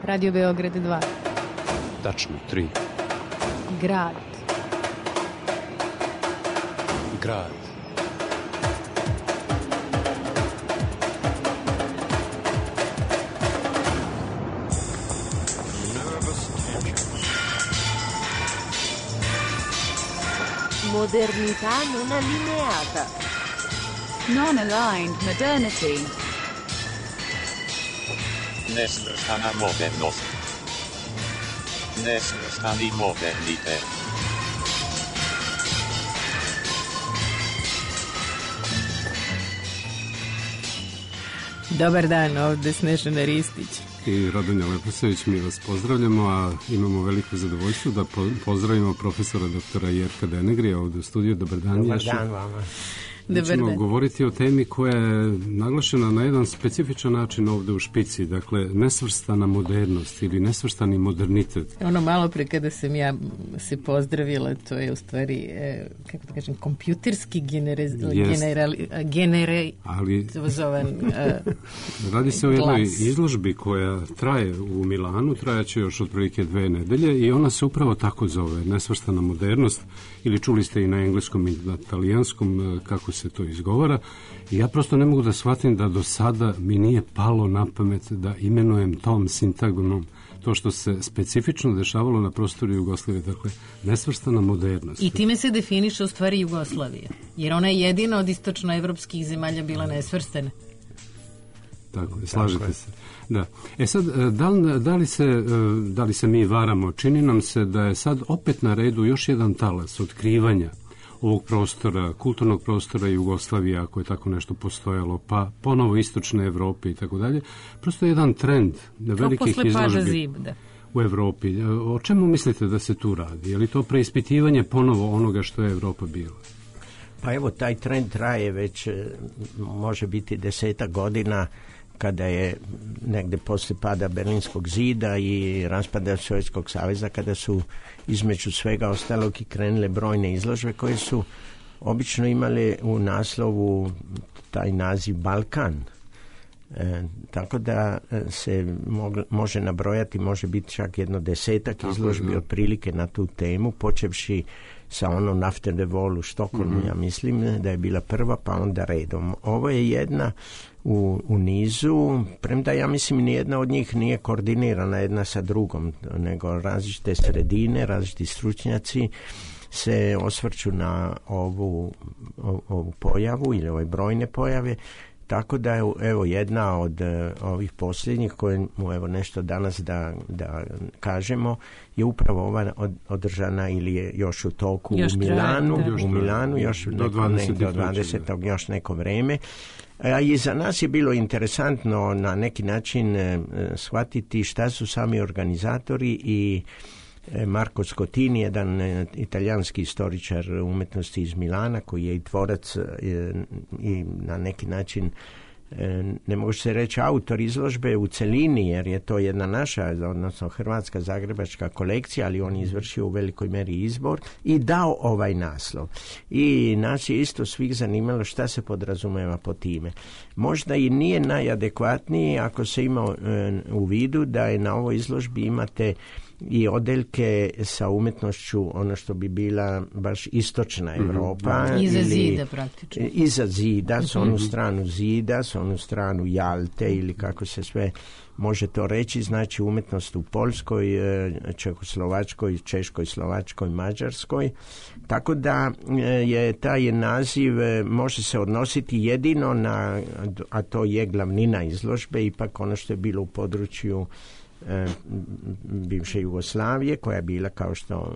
Radio Beograd 2. Tačno, 3. Grad. Grad. Modernità non allineata. Non-aligned modernity. Nesvrstana modernost. Nesvrstani modernite. Dobar dan, ovde Snežana Ristić. I Radonja Leposavić, mi vas pozdravljamo, a imamo veliko zadovoljstvo da pozdravimo profesora doktora Jerka Denegrija ovde u studiju. Dobar dan. Dobar dan vama. Mi ćemo govoriti o temi koja je naglašena na jedan specifičan način ovde u špici, dakle nesvrstana modernost ili nesvrstani modernitet. Ono malo pre kada sam ja se pozdravila, to je u stvari, kako da kažem, kompjuterski generalizovan radi se o jednoj izložbi koja traje u Milanu, trajaće još otprilike 2 nedelje i ona se upravo tako zove, nesvrstana modernost, ili čuli ste i na engleskom i na talijanskom kako se to izgovara. I ja prosto ne mogu da shvatim da do sada mi nije palo na pamet da imenujem tom sintagmom to što se specifično dešavalo na prostoru Jugoslavije, dakle nesvrstana modernost. I time se definiše u stvari Jugoslavija, jer ona je jedina od istočnoevropskih zemalja bila nesvrstana. Tako je, slažete se. Da. Sad, da li se mi varamo? Čini nam se da je sad opet na redu još jedan talas otkrivanja ovog prostora, kulturnog prostora Jugoslavije, ako je tako nešto postojalo, pa ponovo istočne Evrope i tako dalje. Prosto je jedan trend velikih izložbi u Evropi. O čemu mislite da se tu radi? Je li to preispitivanje ponovo onoga što je Evropa bila? Pa evo, taj trend traje već, može biti 10 godina, kada je negde posle pada Berlinskog zida i raspada Sovjetskog saveza, kada su između svega ostalog i krenule brojne izložbe koje su obično imale u naslovu taj naziv Balkan. Tako da se može nabrojati, može biti čak jedno 10 izložbi otprilike na tu temu, počevši sa onom After the Wall u Štokholmu, ja mislim da je bila prva, pa onda redom. Ovo je jedna u nizu, premda ja mislim nijedna od njih nije koordinirana jedna sa drugom, nego različite sredine, različiti stručnjaci se osvrću na ovu pojavu ili ove brojne pojave. Tako da je evo jedna od ovih posljednjih koje mu evo nešto danas da kažemo je upravo ova održana ili je još u toku u Milanu još do 20. još neko vreme. I za nas je bilo interesantno na neki način shvatiti šta su sami organizatori i Marco Scotini, jedan italijanski istoričar umetnosti iz Milana koji je i tvorac i na neki način ne može se reći autor izložbe u celini, jer je to jedna naša, odnosno hrvatska zagrebačka kolekcija, ali on je izvršio u velikoj meri izbor i dao ovaj naslov. I nas je isto svih zanimalo šta se podrazumeva po time. Možda i nije najadekvatniji ako se ima u vidu da je na ovoj izložbi imate i odeljke sa umetnošću, ono što bi bila baš istočna Evropa. Iza zida praktično. Iza zida, s onu stranu zida, s onu stranu Jalte ili kako se sve može to reći, znači umetnost u Poljskoj, Čehoslovačkoj, Češkoj, Slovačkoj, Mađarskoj. Tako da je taj naziv može se odnositi jedino na, a to je glavnina izložbe, ipak ono što je bilo u području bivše Jugoslavije, koja je bila, kao što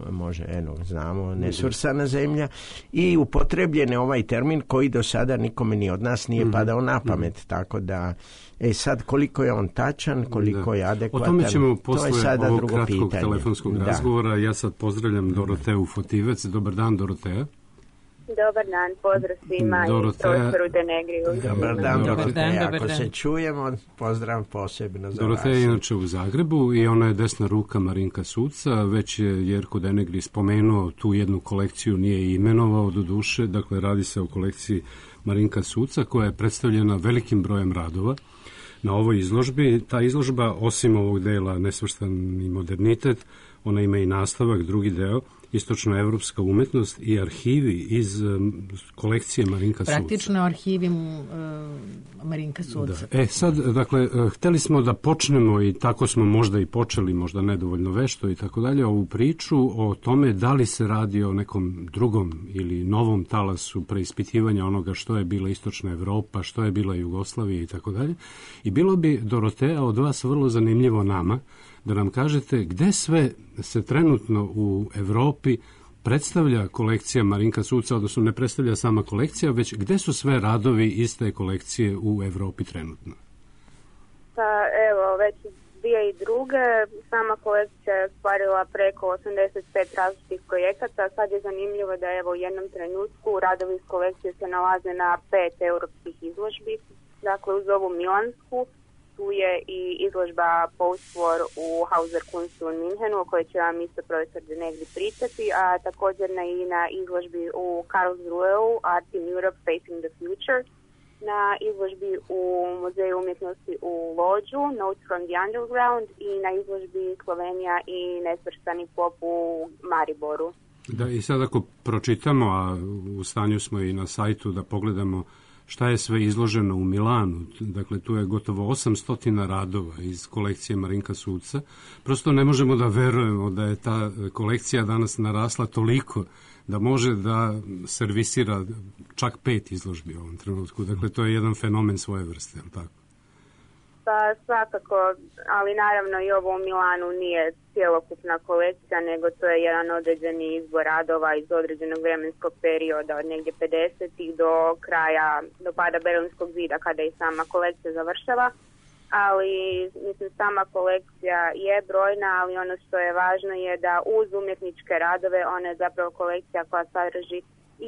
znamo, nesvrstana zemlja, i upotrebljen je ovaj termin koji do sada nikome ni od nas nije padao na pamet, tako da sad koliko je on tačan, koliko je adekvatan, o tome ćemo posle to je sada ovog drugo kratkog pitanje. Telefonskog razgovora. Ja sad pozdravljam Doroteju Fotivec. Dobar dan, Doroteja. Dobar dan, pozdrav svima i profesoru Denegriju. Dobar dan, Doroteja. Ako se čujemo, pozdrav posebno za Doroteja je inače u Zagrebu i ona je desna ruka Marinka Suca. Već je Jerko Denegri spomenuo tu jednu kolekciju, nije imenovao do duše. Dakle, radi se o kolekciji Marinka Suca koja je predstavljena velikim brojem radova. na ovoj izložbi. Ta izložba, osim ovog dela Nesvrstani modernitet, ona ima i nastavak, drugi deo, istočnoevropska umetnost i arhivi iz kolekcije Marinka Suca. Praktično arhivi Marinka Suca. Da. Sad, dakle, hteli smo da počnemo i tako smo možda i počeli, možda nedovoljno vešto i tako dalje, ovu priču o tome da li se radi o nekom drugom ili novom talasu preispitivanja onoga što je bila istočna Evropa, što je bila Jugoslavija i tako dalje. I bilo bi, Dorotea, od vas vrlo zanimljivo nama da nam kažete gde sve se trenutno u Evropi predstavlja kolekcija Marinka Suca, odnosno ne predstavlja sama kolekcija, već gde su sve radovi iste kolekcije u Evropi trenutno? Pa evo, već 2002. sama kolekcija je ostvarila preko 85 različitih projekata. Sad je zanimljivo da evo u jednom trenutku radovi iz kolekcije se nalaze na 5 europskih izložbi. Dakle, uz ovu milansku, tu je i izložba Post-War u Hauser Kunstu u Minhenu, o kojoj će vam isto profesor De Negri pričati, a također i na izložbi u Karlsruheu Art in Europe Facing the Future, na izložbi u Muzeju umjetnosti u Lodžu Notes from the Underground i na izložbi Slovenija i nesvrstani pop u Mariboru. Da, i sad ako pročitamo, a u stanju smo i na sajtu da pogledamo šta je sve izloženo u Milanu, dakle tu je gotovo 800 radova iz kolekcije Marinka Suca. Prosto ne možemo da verujemo da je ta kolekcija danas narasla toliko da može da servisira čak 5 izložbi u ovom trenutku. Dakle, to je jedan fenomen svoje vrste, je li tako? Pa svakako, ali naravno i ovo u Milanu nije cjelokupna kolekcija, nego to je jedan određeni izbor radova iz određenog vremenskog perioda od negdje 50-ih do pada Berlinskog zida kada i sama kolekcija završava. Ali mislim sama kolekcija je brojna, ali ono što je važno je da uz umjetničke radove ona je zapravo kolekcija koja sadrži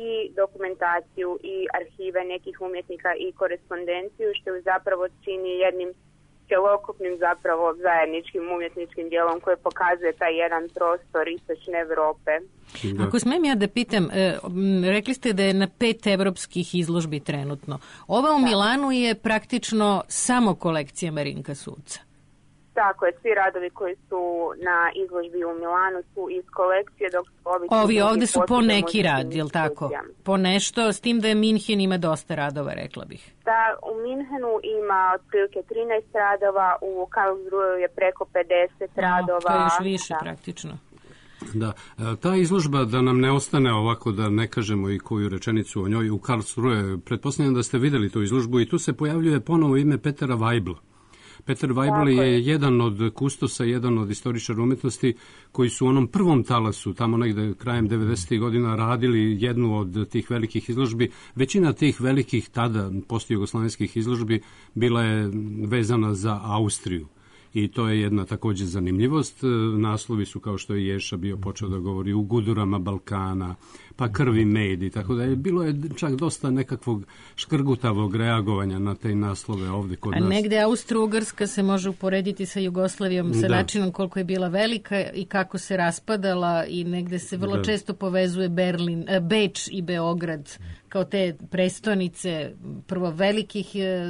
i dokumentaciju i arhive nekih umjetnika i korespondenciju, što je zapravo čini jednim cjelokupnim zapravo zajedničkim umjetničkim dijelom koje pokazuje taj jedan prostor istočne Evrope. Ako smijem ja da pitam, rekli ste da je na 5 evropskih izložbi trenutno. Ova u Milanu je praktično samo kolekcija Marinka Suca. Tako je, svi radovi koji su na izložbi u Milanu su iz kolekcije, dok ovi ovdje su po neki rad, je li tako? Po nešto, s tim da je Minhen ima dosta radova, rekla bih. Da, u Minhenu ima otprilike 13 radova, u Karlsruheu je preko 50 radova. To je još više praktično. Da, ta izložba, da nam ne ostane ovako da ne kažemo i koju rečenicu o njoj, u Karlsruhe, pretpostavljam da ste vidjeli tu izložbu i tu se pojavljuje ponovo ime Petera Weibla. Peter Weibel je jedan od kustosa, jedan od istoričara umetnosti koji su u onom prvom talasu, tamo negde krajem 90. godina, radili jednu od tih velikih izložbi. Većina tih velikih tada postjugoslavenskih izložbi bila je vezana za Austriju. I to je jedna također zanimljivost. Naslovi su, kao što je Ješa bio počeo da govori, u gudurama Balkana, pa krvi med i tako dalje. Bilo je čak dosta nekakvog škrgutavog reagovanja na te naslove ovdje kod nas. A negde Austro-Ugarska se može uporediti sa Jugoslavijom, sa načinom koliko je bila velika i kako se raspadala, i negde se vrlo često povezuje Beč i Beograd kao te prestonice prvo velikih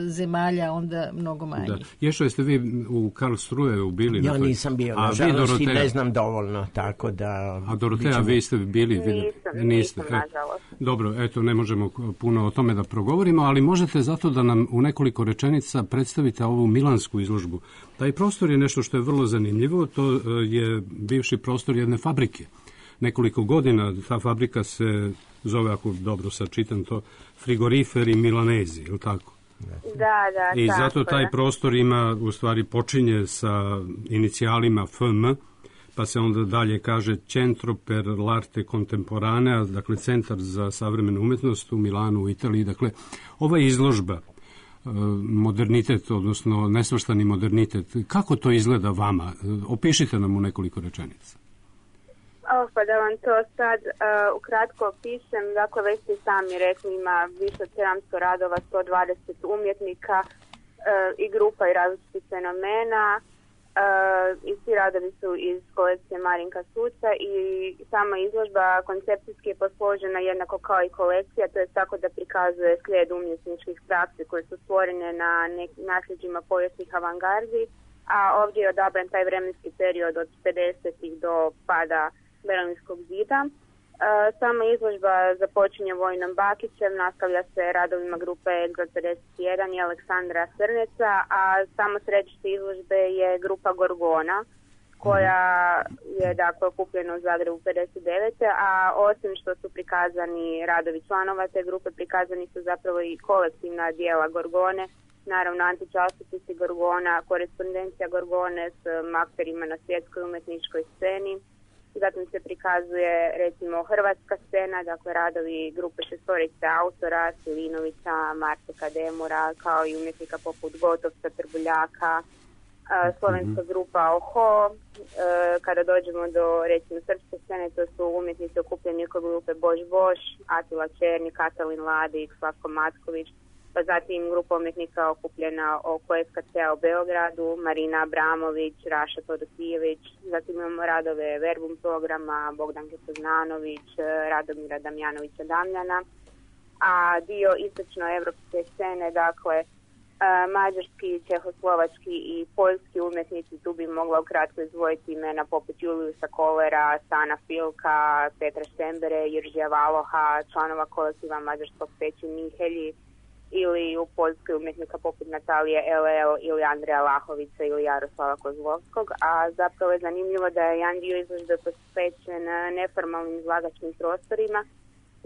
zemalja, onda mnogo manje. Da. Ješo, jeste vi u Karlsruheu bili? Ja nisam bio, nažalost, i ne znam dovoljno, tako da... A Dorotea, vi ste bili? Nisam, nažalost. Dobro, eto, ne možemo puno o tome da progovorimo, ali možete zato da nam u nekoliko rečenica predstavite ovu milansku izložbu. Taj prostor je nešto što je vrlo zanimljivo, to je bivši prostor jedne fabrike. Nekoliko godina ta fabrika se zove, ako dobro sad čitam to, Frigoriferi Milanezi, je li tako? Da, i zato taj prostor ima, u stvari počinje sa inicijalima FM, pa se onda dalje kaže Centro per l'arte contemporanea, dakle Centar za savremenu umjetnost u Milanu, u Italiji. Dakle, ova izložba, modernitet, odnosno nesvrstani modernitet, kako to izgleda vama? Opišite nam u nekoliko rečenica. Pa da vam to sad ukratko opišem, dakle već ste sami rekli, ima više od 700 radova, 120 umjetnika i grupa i različitih fenomena. I svi radovi su iz kolekcije Marinka Suca i sama izložba koncepcijski je posložena jednako kao i kolekcija, to je tako da prikazuje slijed umjetničkih praksi koje su stvorene na nasljeđima povijesnih avangardi, a ovdje je odabran taj vremenski period od 50-ih do pada Berlinskog zida. Sama izložba započinje Vojnom Bakićem, nastavlja se radovima grupe Edgar 51 i Aleksandra Srneca, a samo središte izložbe je grupa Gorgona, koja je dakle okupljena u Zagrebu 59. A osim što su prikazani radovi članova te grupe, prikazani su zapravo i kolektivna dijela Gorgone, naravno antičasopisi Gorgona, korespondencija Gorgone s akterima na svjetskoj umjetničkoj sceni. Zatim se prikazuje recimo hrvatska scena, dakle radovi grupe šestorice autora, Silinovića, Marteka Demura, kao i umjetnika poput Gotovca, Trbuljaka, slovenska grupa Oho. Kada dođemo do recimo srpske scene, to su umjetnici okupljeni oko grupe Bož Bož, Atila Černi, Katalin Ladik, Slavko Matković, pa zatim grupa umjetnika okupljena oko SKC-a u Beogradu, Marina Abramović, Raša Todosijević, zatim imamo radove Verbum programa, Bogdanke Poznanović, Radomira Damjanovića Damljana, a dio istočnoevropske scene, dakle, mađarski, čehoslovački i poljski umjetnici, tu bi mogla ukratko izdvojiti imena poput Juliusa Kolera, Stana Filka, Petra Štembere, Jiržija Valoha, članova kolektiva mađarskog Peći Mihelji, ili u Poljskoj umjetnika poput Natalije LL ili Andreja Lahovića ili Jaroslava Kozlovskog, a zapravo je zanimljivo da je jedan dio izložbe posvećen neformalnim izlagačkim prostorima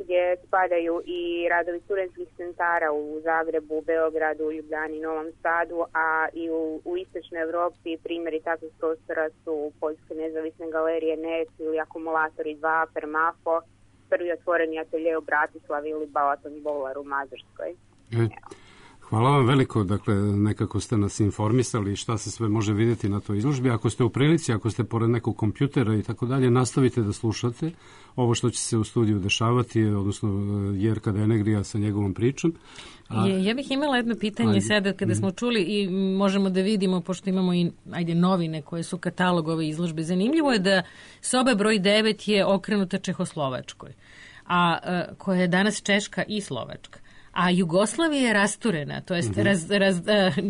gdje spadaju i radovi studentskih centara u Zagrebu, Beogradu, Ljubljani, Novom Sadu, a i u istočnoj Europi primjeri takvih prostora su Poljske nezavisne galerije NET ili Akumulatori 2, Permafo, prvi otvoreni atelje u Bratislavi ili Balaton Bolar u Mađarskoj. Hvala vam veliko, dakle nekako ste nas informisali šta se sve može vidjeti na toj izložbi. Ako ste u prilici, ako ste pored nekog kompjutera i tako dalje, nastavite da slušate ovo što će se u studiju dešavati, odnosno Jerka Denegrija sa njegovom pričom. Ja bih imala jedno pitanje sada kada smo čuli i možemo da vidimo, pošto imamo i novine koje su katalog ove izložbe. Zanimljivo je da soba broj 9 je okrenuta Čehoslovačkoj, a koja je danas Češka i Slovačka. A Jugoslavija je rasturena, to jest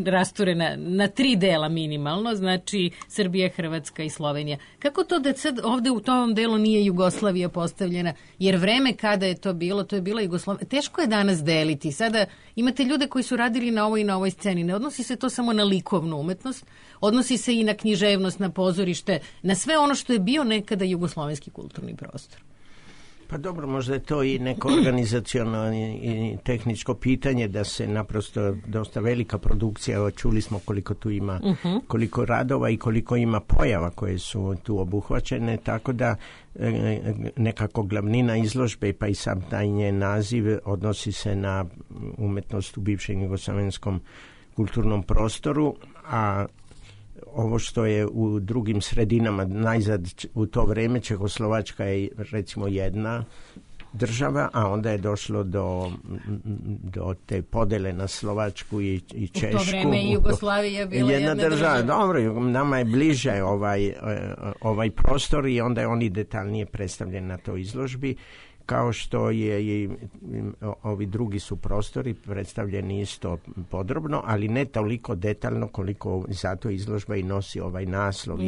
rasturena na 3 dela minimalno, znači Srbija, Hrvatska i Slovenija. Kako to da sad ovde u tom delu nije Jugoslavija postavljena? Jer vreme kada je to bila Jugoslavija. Teško je danas deliti. Sada imate ljude koji su radili na ovoj i na ovoj sceni. Ne odnosi se to samo na likovnu umetnost, odnosi se i na književnost, na pozorište, na sve ono što je bio nekada jugoslovenski kulturni prostor. Pa dobro, možda je to i neko organizacionalno i tehničko pitanje da se naprosto dosta velika produkcija, čuli smo koliko tu ima, koliko radova i koliko ima pojava koje su tu obuhvaćene, tako da nekako glavnina izložbe pa i sam taj njen naziv odnosi se na umetnost u bivšem jugoslavenskom kulturnom prostoru, a ovo što je u drugim sredinama, najzad u to vreme Čehoslovačka je recimo jedna država, a onda je došlo do te podele na Slovačku i Češku. U to vreme i Jugoslavija bila jedna država. Dobro, nama je bliže ovaj prostor i onda je oni detaljnije predstavljen na toj izložbi, kao što je i ovi drugi su prostori predstavljeni isto podrobno, ali ne toliko detaljno koliko zato izložba i nosi ovaj naslov.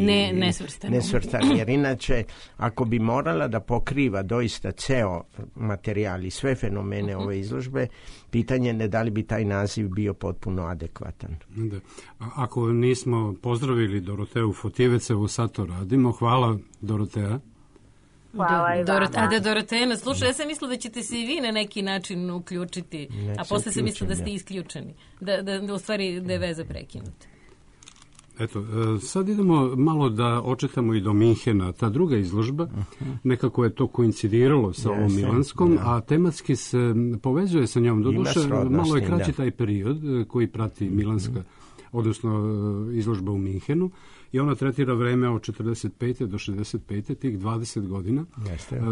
Nesvrstani. Jer inače, ako bi morala da pokriva doista ceo materijal i sve fenomene ove izložbe, pitanje je da li bi taj naziv bio potpuno adekvatan. Da. Ako nismo pozdravili Doroteju Fotivecevu, sad to radimo. Hvala, Doroteja. Hvala i vama. Dorotejna, slušaj, ja sam mislila da ćete se i vi na neki način uključiti, a posle sam mislila da ste isključeni, da u stvari da je veza prekinuta. Eto, sad idemo malo da očetamo i do Minhena. Ta druga izložba, nekako je to koincidiralo sa ovom milanskom, a tematski se povezuje sa njom. Doduše, malo je kraći taj period koji prati milanska, odnosno izložba u Minhenu. i ona tretira vreme od 45. do 65. tih 20 godina.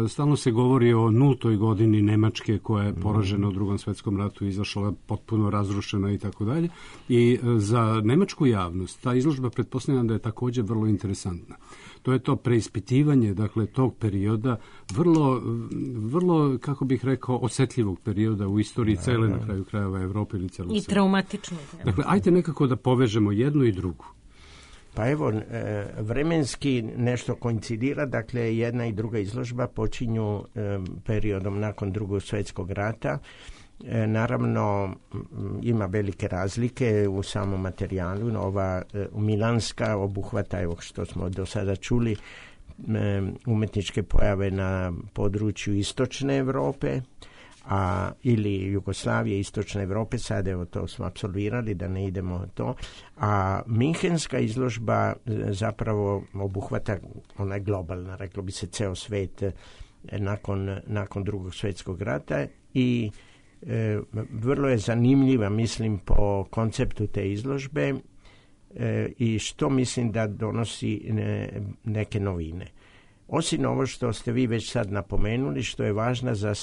Stalno se govori o nultoj godini Nemačke koja je poražena u Drugom svetskom ratu, izašla potpuno razrušena i tako dalje. I za nemačku javnost ta izložba pretpostavljam da je također vrlo interesantna. To je to preispitivanje, dakle, tog perioda, vrlo, kako bih rekao, osjetljivog perioda u istoriji cele, na kraju krajeva, Evrope ili celog sveta. I traumatično. Dakle, ajte nekako da povežemo jednu i drugu. Pa evo, vremenski nešto koincidira, dakle, jedna i druga izložba počinju periodom nakon Drugog svjetskog rata. Naravno, ima velike razlike u samom materijalu. Ova milanska obuhvata, evo što smo do sada čuli, umetničke pojave na području istočne Europe, ili Jugoslavije, istočne Europe, sad evo to smo apsolvirali, da ne idemo to. A Minhenska izložba zapravo obuhvata onaj globalna, reklo bi se, ceo svet nakon Drugog svjetskog rata i vrlo je zanimljiva, mislim, po konceptu te izložbe i što mislim da donosi neke novine. Osim ovo što ste vi već sad napomenuli, što je važno za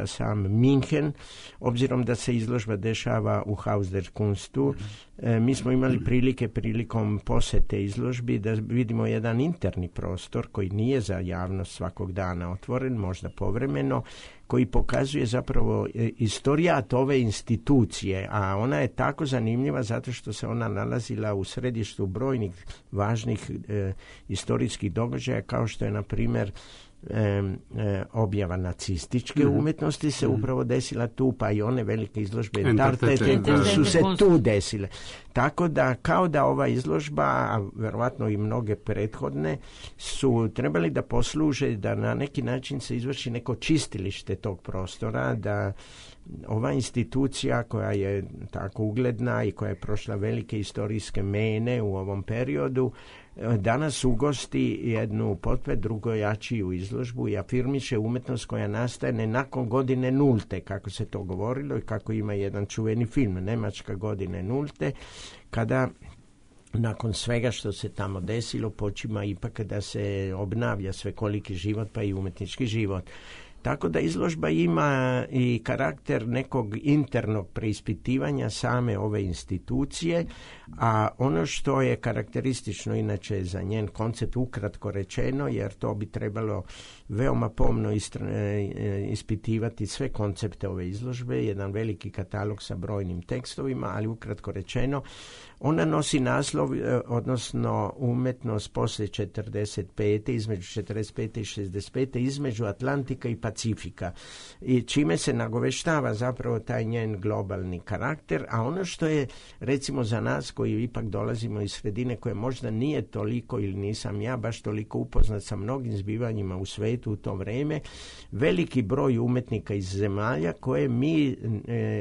sam Minhen, obzirom da se izložba dešava u Haus der Kunstu, mi smo imali prilikom posete izložbi da vidimo jedan interni prostor koji nije za javnost svakog dana otvoren, možda povremeno, koji pokazuje zapravo istorijat ove institucije, a ona je tako zanimljiva zato što se ona nalazila u središtu brojnih važnih istorijskih događaja, kao što je, na primjer, objava nacističke umetnosti se upravo desila tu, pa i one velike izložbe su se tu desile. Tako da, kao da ova izložba, a verovatno i mnoge prethodne, su trebali da posluže da na neki način se izvrši neko čistilište tog prostora, da ova institucija koja je tako ugledna i koja je prošla velike istorijske mene u ovom periodu, danas ugosti jednu potpuno drugojačiju izložbu i afirmiše umetnost koja nastaje nakon godine nulte, kako se to govorilo i kako ima jedan čuveni film, Nemačka godine nulte, kada nakon svega što se tamo desilo počima ipak da se obnavlja svekoliki život, pa i umetnički život. Tako da izložba ima i karakter nekog internog preispitivanja same ove institucije, a ono što je karakteristično inače za njen koncept, ukratko rečeno, jer to bi trebalo veoma pomno ispitivati sve koncepte ove izložbe, jedan veliki katalog sa brojnim tekstovima, ali ukratko rečeno, ona nosi naslov, odnosno umetnost posle 45. između 45. i 65. između Atlantika i Pacifika, i čime se nagoveštava zapravo taj njen globalni karakter, a ono što je, recimo, za nas koji ipak dolazimo iz sredine koje možda nije toliko, ili nisam ja baš toliko upoznat sa mnogim zbivanjima u svetu u to vreme, veliki broj umetnika iz zemalja koje mi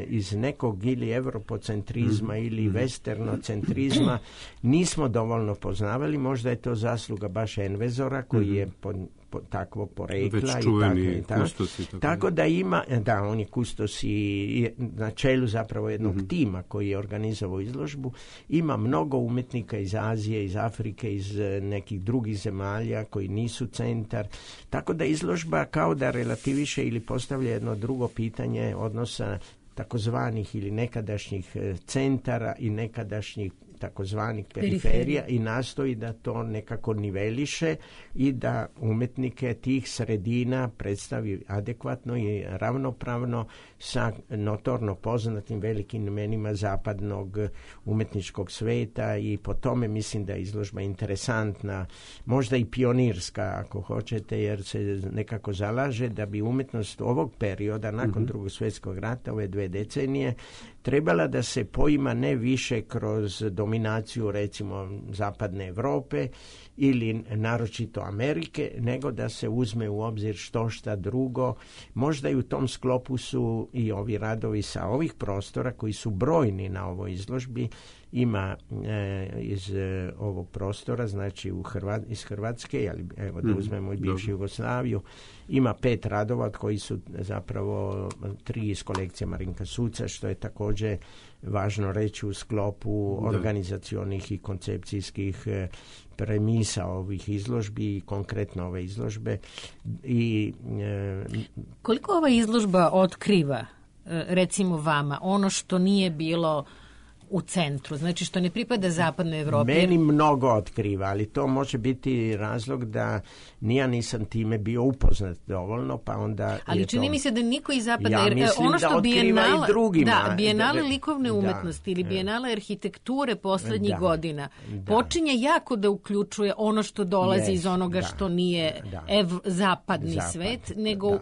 iz nekog ili evropocentrizma ili westernocentrizma nismo dovoljno poznavali. Možda je to zasluga baš Envezora koji je takvog porekla i tako da ima, da, on je kustos i na čelu zapravo jednog tima koji je organizovao izložbu. Ima mnogo umetnika iz Azije, iz Afrike, iz nekih drugih zemalja koji nisu centar, tako da izložba kao da relativiše ili postavlja jedno drugo pitanje odnosa takozvanih ili nekadašnjih centara i nekadašnjih takozvanih periferija i nastoji da to nekako niveliše i da umetnike tih sredina predstavi adekvatno i ravnopravno sa notorno poznatim velikim imenima zapadnog umetničkog sveta, i po tome mislim da je izložba interesantna, možda i pionirska ako hoćete, jer se nekako zalaže da bi umetnost ovog perioda nakon Drugog svjetskog rata, ove 2 decenije, trebala da se poima ne više kroz dominaciju recimo zapadne Europe ili naročito Amerike, nego da se uzme u obzir šta drugo. Možda i u tom sklopu su i ovi radovi sa ovih prostora koji su brojni na ovoj izložbi ima iz ovog prostora, znači iz Hrvatske, ali evo da uzmemo i bivšu Jugoslaviju, ima 5 radova od koji su zapravo 3 iz kolekcije Marinka Suca, što je također važno reći u sklopu organizacionih i koncepcijskih premisa ovih izložbi i konkretno ove izložbe. Koliko ova izložba otkriva, recimo vama, ono što nije bilo u centru, znači što ne pripada zapadnoj Evropi? Meni mnogo otkriva, ali to može biti razlog da ja nisam time bio upoznat dovoljno, pa onda... Ali čini mi se da niko iz zapadne... Ja mislim ono što da otkriva i drugima. Da, bijenale likovne umetnosti ili bijenale arhitekture poslednjih godina počinje jako da uključuje ono što dolazi iz onoga što nije zapadni svet, nego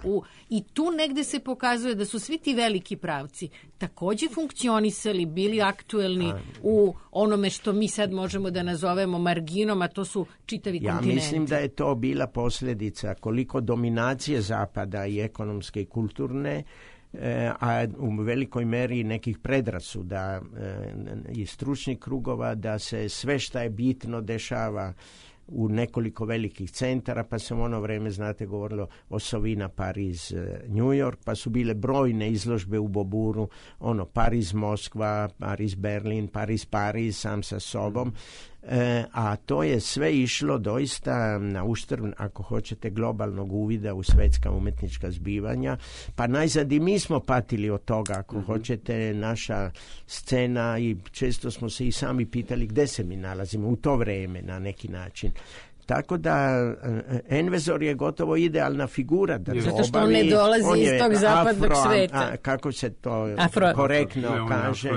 i tu negde se pokazuje da su svi ti veliki pravci takođe funkcionisali, bili aktuelni u onome što mi sad možemo da nazovemo marginom, a to su čitavi kontinenti. Ja mislim da je to bila posljedica koliko dominacije Zapada i ekonomske i kulturne, a u velikoj meri nekih predrasuda i stručnih krugova da se sve što je bitno dešava u nekoliko velikih centara, pa se u ono vreme, znate, govorilo o Sovina, Pariz, New York, pa su bile brojne izložbe u Boburu, Pariz, Moskva, Pariz, Berlin, Pariz, sam sa sobom, a to je sve išlo doista na uštrb, ako hoćete, globalnog uvida u svetska umetnička zbivanja, pa najzad i mi smo patili od toga, ako hoćete, naša scena, i često smo se i sami pitali gde se mi nalazimo u to vreme na neki način. Tako da Envezor je gotovo idealna figura da to zato što on ne dolazi iz tog zapadnog sveta. Kako se to korektno kaže?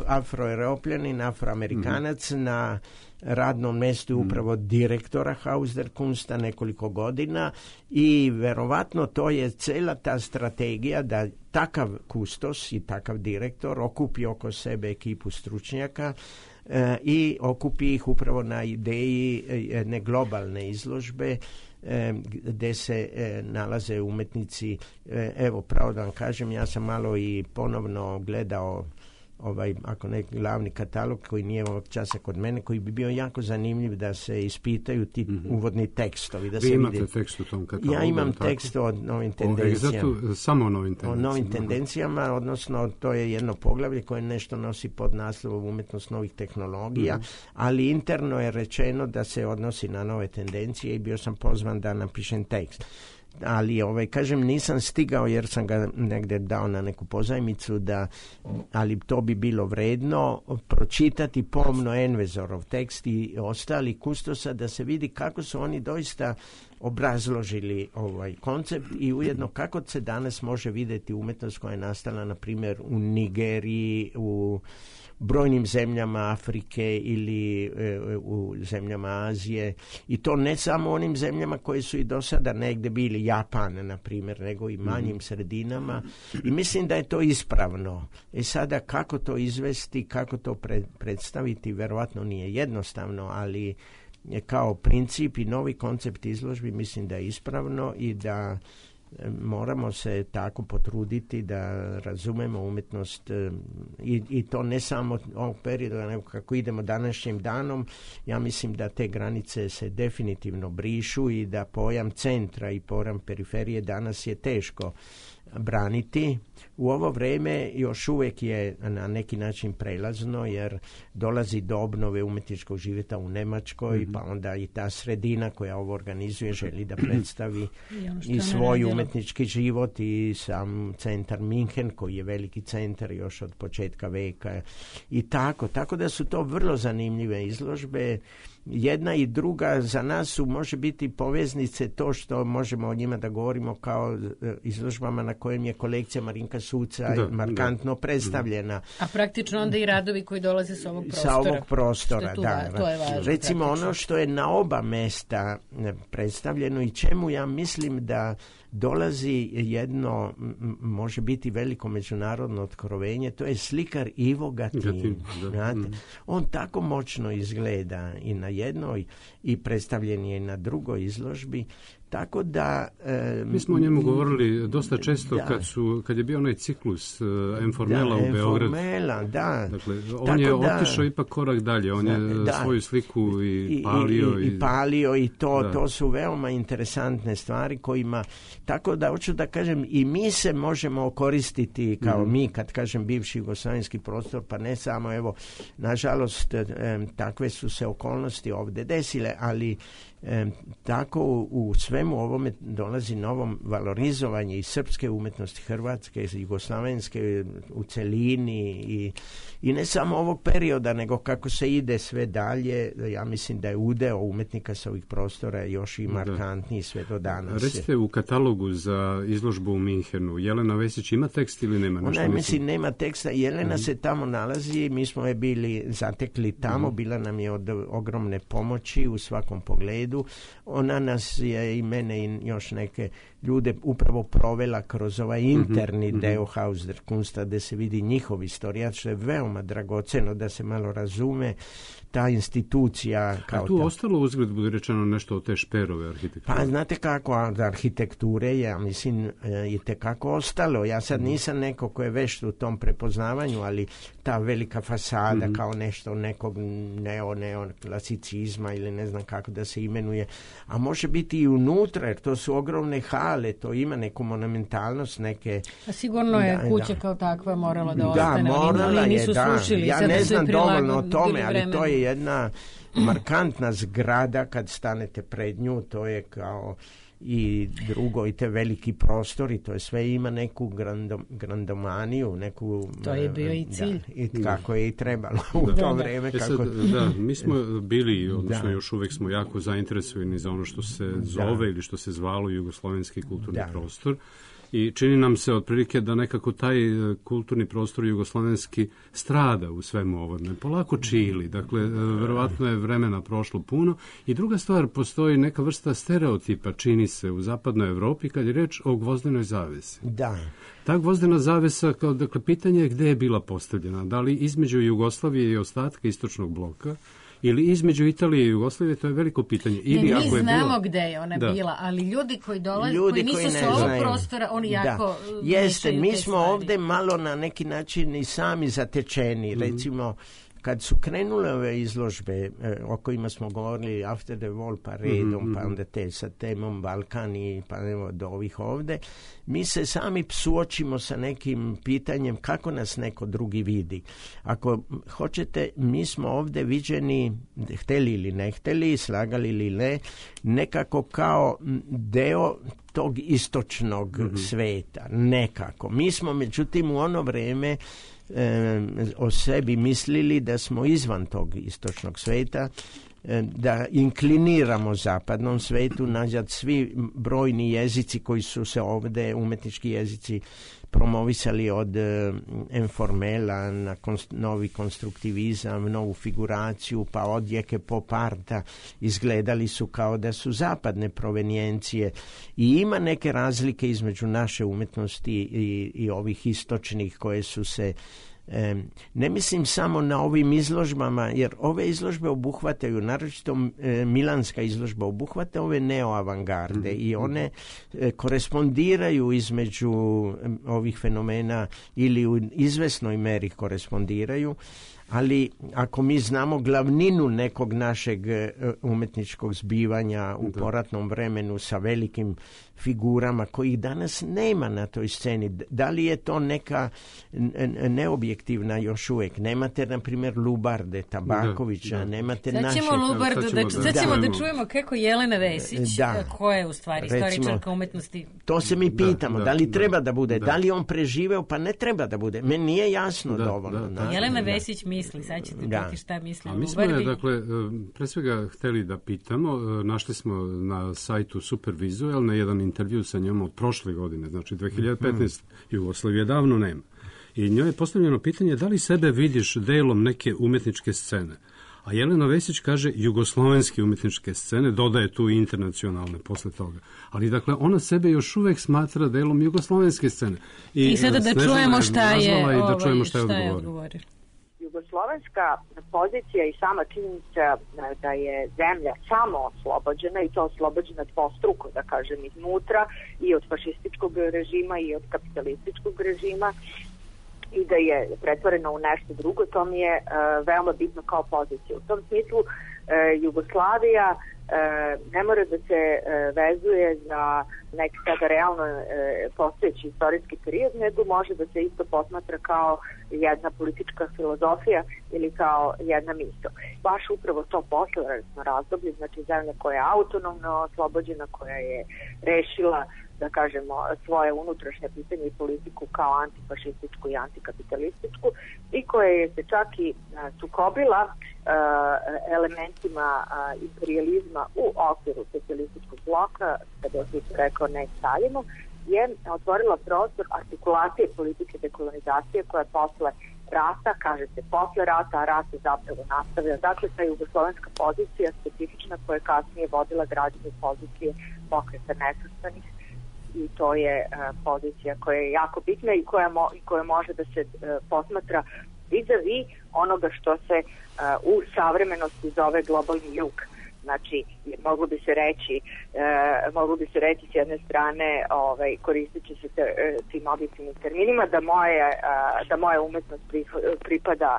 Afroevropljanin, Afroamerikanac na radnom mjestu upravo direktora Haus-der-Kunsta nekoliko godina i verovatno to je cela ta strategija da takav kustos i takav direktor okupi oko sebe ekipu stručnjaka i okupi ih upravo na ideji jedne globalne izložbe gde se nalaze umetnici. Evo, pravo da vam kažem, ja sam malo i ponovno gledao ako ne glavni katalog koji nije ovog časa kod mene, koji bi bio jako zanimljiv da se ispitaju ti uvodni tekstovi. Da Vi imate tekst u tom katalogu? Ja imam tekst o novim tendencijama. Samo o novim tendencijama? O novim tendencijama, odnosno to je jedno poglavlje koje nešto nosi pod naslovom umetnost novih tehnologija, ali interno je rečeno da se odnosi na nove tendencije i bio sam pozvan da napišem tekst. Ali kažem, nisam stigao jer sam ga negde dao na neku pozajmicu, ali to bi bilo vredno pročitati pomno Envezorov tekst i ostali kustosa da se vidi kako su oni doista obrazložili ovaj koncept i ujedno kako se danas može vidjeti umetnost koja je nastala na primjer u Nigeriji, u brojnim zemljama Afrike ili u zemljama Azije, i to ne samo onim zemljama koje su i do sada negde bili, Japan na primjer, nego i manjim sredinama, i mislim da je to ispravno. Sada kako to izvesti, kako to predstaviti, verovatno nije jednostavno, ali kao princip i novi koncept izložbi mislim da je ispravno i da moramo se tako potruditi da razumemo umjetnost i to ne samo ovog perioda, nego kako idemo današnjim danom. Ja mislim da te granice se definitivno brišu i da pojam centra i pojam periferije danas je teško braniti. U ovo vrijeme još uvijek je na neki način prelazno jer dolazi do obnove umjetničkog života u Njemačkoj, pa onda i ta sredina koja ovo organizuje želi da predstavi i svoj umjetnički život i sam centar Minhen koji je veliki centar još od početka veka i tako da su to vrlo zanimljive izložbe. Jedna i druga za nas su može biti poveznice, to što možemo o njima da govorimo kao izložbama na kojem je kolekcija Marinka Suca markantno predstavljena. A praktično onda i radovi koji dolaze sa ovog prostora. Sa ovog prostora, to je važno. Recimo ono što je na oba mesta predstavljeno i čemu ja mislim da dolazi jedno, može biti veliko međunarodno otkrovenje, to je slikar Ivo Gatin. On tako moćno izgleda i na jednoj i predstavljen je na drugoj izložbi, Tako da... Mi smo o njemu govorili dosta često kad je bio onaj ciklus Informela u Beogradu. Informela, da. Dakle, on je otišao ipak korak dalje. On je svoju sliku i palio. I palio i to su veoma interesantne stvari kojima... Tako da, hoću da kažem, i mi se možemo koristiti kao mi, kad kažem bivši jugoslavenski prostor, pa ne samo, evo, nažalost, takve su se okolnosti ovdje desile, ali tako u svemu ovome dolazi novo valorizovanje i srpske umetnosti, hrvatske, jugoslavenske u celini i ne samo ovog perioda, nego kako se ide sve dalje. Ja mislim da je udeo umetnika sa ovih prostora još i markantniji sve do danas. Recite, u katalogu za izložbu u Minhenu Jelena Vesić ima tekst ili nema? Ona mislim nema teksta. Jelena se tamo nalazi, mi smo je bili zatekli tamo, bila nam je od ogromne pomoći u svakom pogledu. Ona nas je i mene i još neke ljude upravo provela kroz ovaj interni deo Haus der Kunsta, gde se vidi njihov istorija, što je veoma dragoceno da se malo razume ta institucija. A tu ostalo uzgled, bude rečeno, nešto od te Šperove arhitekture? Pa znate kako, od arhitekture ja mislim je tekako ostalo. Ja sad nisam neko ko je vešt u tom prepoznavanju, ali ta velika fasada kao nešto nekog neoklasicizma ili ne znam kako da se imenuje, a može biti i unutra, jer to su ogromne hale, to ima neku monumentalnost, neke... A sigurno je kuća kao takva morala da ostane, morala ali nisu srušili. Ja ne znam dovoljno o tome, ali to je jedna markantna zgrada kad stanete pred nju, to je kao i drugo i te veliki prostori, to je sve ima neku grandomaniju, neku... To je bio i cilj. I kako je i trebalo u to vreme. Kako... mi smo bili, odnosno još uvek smo jako zainteresovani za ono što se zove ili što se zvalo jugoslovenski kulturni prostor. I čini nam se otprilike da nekako taj kulturni prostor jugoslovenski strada u svemu ovome. Polako čili, dakle, verovatno je vremena prošlo puno. I druga stvar, postoji neka vrsta stereotipa, čini se, u zapadnoj Evropi kad je reč o gvozdenoj zavesi. Da. Ta gvozdena zavesa, dakle, pitanje je gde je bila postavljena. Da li između Jugoslavije i ostatka istočnog bloka, ili između Italije i Jugoslavije, to je veliko pitanje. Ili mi znamo gde je ona bila, ali ljudi koji dolaze, koji nisu sa ovog prostora, oni jako... Jeste, mi smo ovde malo na neki način i sami zatečeni, recimo... Kad su krenule ove izložbe o kojima smo govorili After the Wall pa redom, pa onda te sa temom Balkani, pa evo do ovih ovde, mi se sami suočimo sa nekim pitanjem kako nas neko drugi vidi. Ako hoćete, mi smo ovde viđeni, hteli ili ne hteli, slagali ili ne, nekako kao deo tog istočnog sveta, nekako. Mi smo, međutim, u ono vreme o sebi mislili da smo izvan tog istočnog sveta, da inkliniramo zapadnom svetu, nazad svi brojni jezici koji su se ovde, umetnički jezici, promovisali od Informela na novi konstruktivizam, novu figuraciju, pa odjeke pop arta, izgledali su kao da su zapadne provenijencije i ima neke razlike između naše umetnosti i ovih istočnih koje su se ne mislim samo na ovim izložbama, jer ove izložbe obuhvataju, naročito milanska izložba obuhvata ove neoavangarde i one korespondiraju između ovih fenomena ili u izvesnoj meri korespondiraju, ali ako mi znamo glavninu nekog našeg umetničkog zbivanja u poratnom vremenu sa velikim figurama kojih danas nema na toj sceni, da li je to neka neobjektivna još uvijek? Nemate, na primjer, Lubarde, Tabakovića, nemate naše... Sad ćemo da čujemo kako Jelena Vesić, koja je u stvari istoričarka umetnosti. To se mi pitamo, da li treba da bude, da li on preživeo, pa ne treba da bude. Meni nije jasno dovoljno. Jelena Vesić misli, sad ćete čuti šta misli. A mi smo je, dakle, pre svega hteli da pitamo, našli smo na sajtu Supervizual jedan intervju sa njom od prošle godine, znači 2015. Jugoslavije davno nema. I njoj je postavljeno pitanje da li sebe vidiš delom neke umetničke scene. A Jelena Vesić kaže jugoslovenske umetničke scene, dodaje tu internacionalne posle toga. Ali dakle, ona sebe još uvek smatra delom jugoslovenske scene. I sada da čujemo šta je odgovorio. jugoslovenska pozicija i sama činjenica da je zemlja samo oslobođena, i to oslobođena dvostruko, da kažem, iznutra, i od fašističkog režima i od kapitalističkog režima, i da je pretvorena u nešto drugo, to mi je veoma bitno kao pozicija. U tom smislu Jugoslavija ne mora da se vezuje za neki sada realno postojeći istorijski period, nego može da se isto posmatra kao jedna politička filozofija ili kao jedna misao. Baš upravo to posleratno razdoblje, znači zemlja koja je autonomno oslobođena, koja je rešila, da kažemo, svoje unutrašnje pitanje i politiku kao antifašističku i antikapitalističku, i koja je se čak i sukobila elementima imperializma u okviru socijalističkog bloka, kada je rekao ne Staljinu, je otvorila prostor artikulacije politike dekolonizacije koja posle rata, kaže se posle rata, a rat se zapravo nastavlja. Dakle, ta jugoslovenska pozicija specifična koja je kasnije vodila građane pozicije Pokreta nesvrstanih, i to je pozicija koja je jako bitna i koja može da se posmatra vis-a-vis onoga što se u savremenosti zove globalni jug. Znači, moglo bi se reći s jedne strane, koristeći se tim objektivnim terminima, da moja umetnost pripada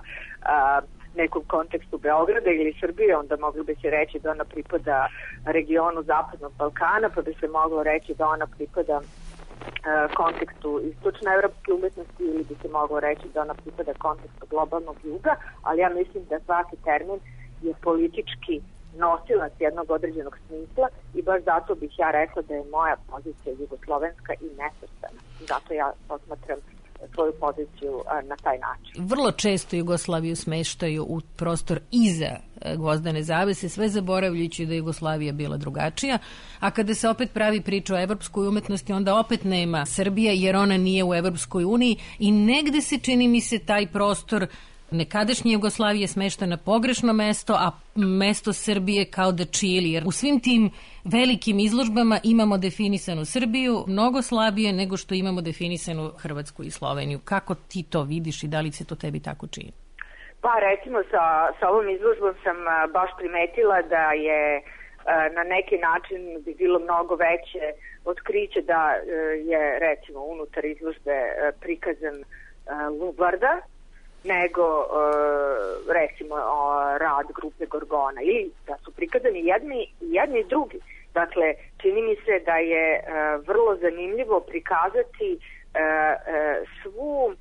nekom kontekstu Beograda ili Srbije, onda moglo bi se reći da ona pripada regionu Zapadnog Balkana, pa bi se moglo reći da ona pripada kontekstu istočnoevropske umetnosti, ili bi se moglo reći da ona pripada kontekstu globalnog juga, ali ja mislim da svaki termin je politički nosilac jednog određenog smisla, i baš zato bih ja rekla da je moja pozicija jugoslovenska i nesvrstana. Zato ja posmatram svoju poziciju na taj način. Vrlo često Jugoslaviju smeštaju u prostor iza Gvozdene zavese, sve zaboravljajući da je Jugoslavija bila drugačija, a kada se opet pravi priča o evropskoj umetnosti, onda opet nema Srbija, jer ona nije u Evropskoj uniji, i negde se, čini mi se, taj prostor nekadašnje Jugoslavije smešta na pogrešno mesto, a mesto Srbije kao da čili, jer u svim tim velikim izložbama imamo definisanu Srbiju mnogo slabije nego što imamo definisanu Hrvatsku i Sloveniju. Kako ti to vidiš i da li se to tebi tako čini? Pa recimo sa ovom izložbom sam baš primetila da je na neki način bi bilo mnogo veće otkriće da je recimo unutar izložbe prikazan Lubarda, nego recimo rad grupe Gorgona, ili da su prikazani jedni i drugi. Dakle, čini mi se da je vrlo zanimljivo prikazati svu,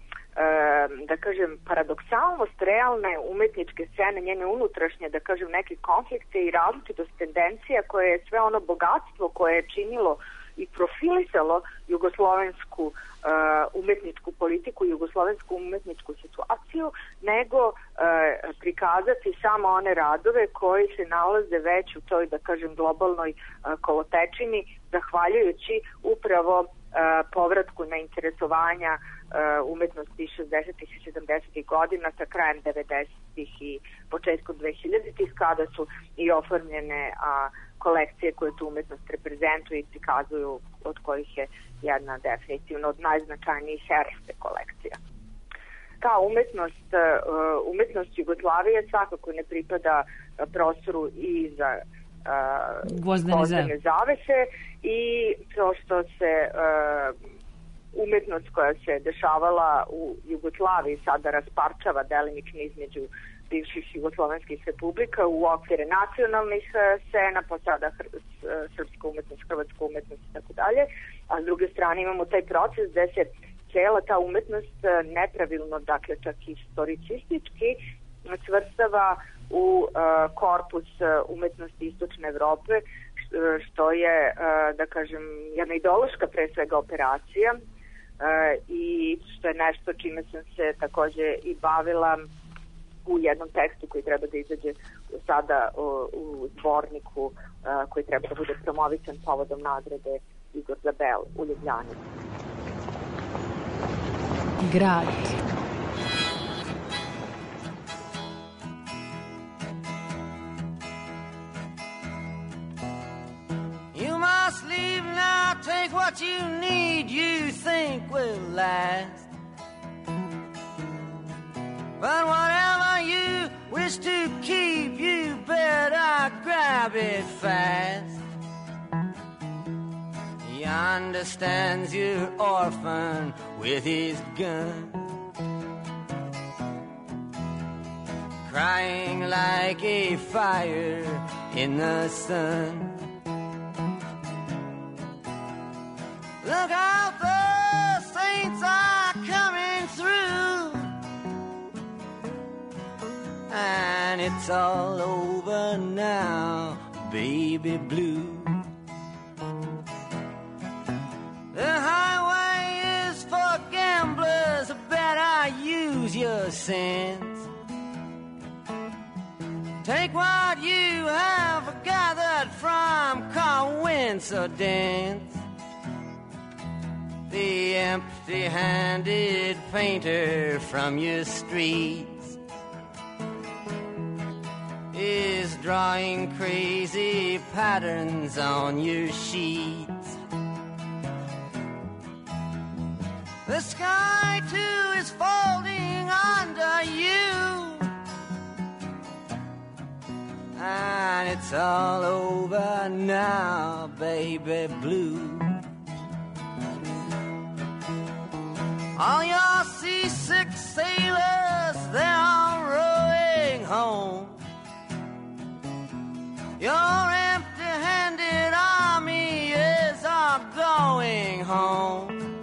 da kažem, paradoksalnost realne umetničke scene, njene unutrašnje, da kažem, neke konflikte i različitost tendencija koje je sve ono bogatstvo koje je činilo i profilisalo jugoslovensku umetničku politiku, jugoslovensku umetničku situaciju, nego prikazati samo one radove koji se nalaze već u toj, da kažem, globalnoj kolotečini, zahvaljujući upravo povratku na interesovanja umetnosti 60. i 70. godina sa krajem 90. i početkom 2000. kada su i oformljene kolekcije koje tu umetnost reprezentuju i prikazuju, od kojih je jedna definitivno od najznačajnijih herske kolekcija. Ta umetnost Jugoslavije svakako ne pripada prostoru iza Gvozdene zavese, i to što se umetnost koja se dešavala u Jugoslaviji sada rasparčava delimično između bivših jugoslovenskih republika u okvire nacionalnih scena, pa sada srpska umetnost, hrvatska umetnost i tako dalje, a s druge strane imamo taj proces gde se cela ta umetnost nepravilno, dakle čak i historicistički, svrstava u korpus umetnosti istočne Evrope, što je, da kažem, jedna ideološka pre svega operacija, i što je nešto čime sam se takođe i bavila u jednom tekstu koji treba da izađe sada u zborniku koji treba da bude promovisan povodom nagrade Igor Zabel u Ljubljani. Grad. You must leave now, take what you need, you think will last. But whatever wish to keep, you better grab it fast. He understands you're orphan with his gun, crying like a fire in the sun. Look out, the saints are coming through, and it's all over now, baby blue. The highway is for gamblers, better use your sense. Take what you have gathered from coincidence. The empty-handed painter from your streets is drawing crazy patterns on your sheets. The sky too is folding under you, and it's all over now, baby blue. All your seasick sailors, they're all rowing home. Your empty-handed army is all going home.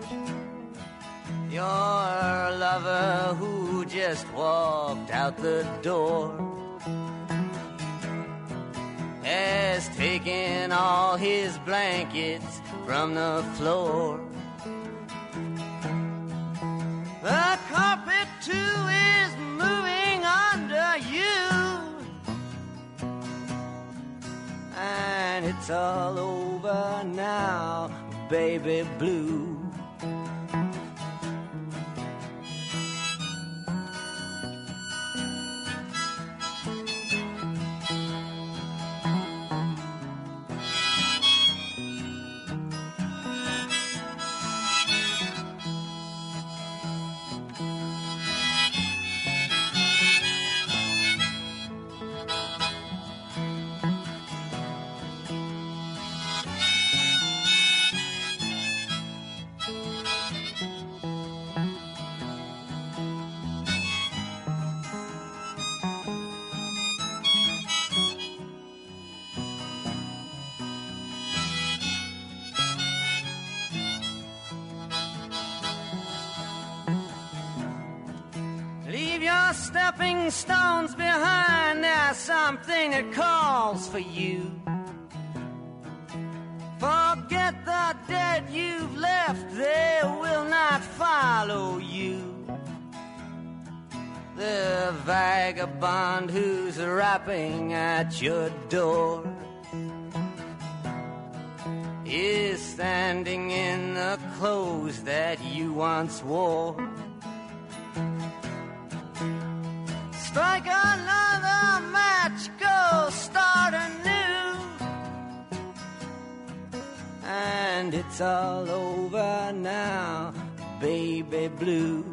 Your lover who just walked out the door has taken all his blankets from the floor. The carpet too is moving under you, and it's all over now, baby blue. Stepping stones behind, there's something that calls for you. Forget the dead you've left, they will not follow you. The vagabond who's rapping at your door is standing in the clothes that you once wore. Strike another match, go start anew, and it's all over now, baby blue.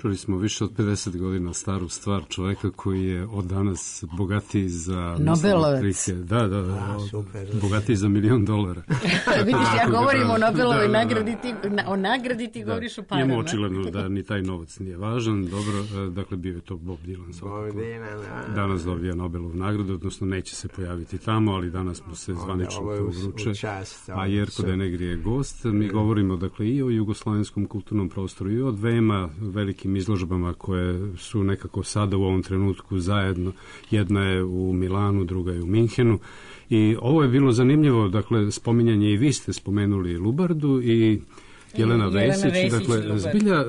Čuli smo više od 50 godina staru stvar čoveka koji je od danas bogatiji za... Nobelovac. Da, bogatiji za $1 milion. Vidiš, ja govorim o Nobelovoj nagradi, o nagradi ti govoriš o parama. Njemu očigledno da ni taj novac nije važan. Dobro, dakle, bio je to Bob Dylan. Danas dobija Nobelovu nagradu, odnosno neće se pojaviti tamo, ali danas mu se zvanično vruče. A Jerko Denegri je gost. Mi govorimo, dakle, i o jugoslovenskom kulturnom prostoru i o dvema velikim izložbama koje su nekako sada u ovom trenutku zajedno. Jedna je u Milanu, druga je u Minhenu. I ovo je bilo zanimljivo, dakle, spominjanje i vi ste spomenuli Lubardu i Jelena Vesić, dakle, zbilja,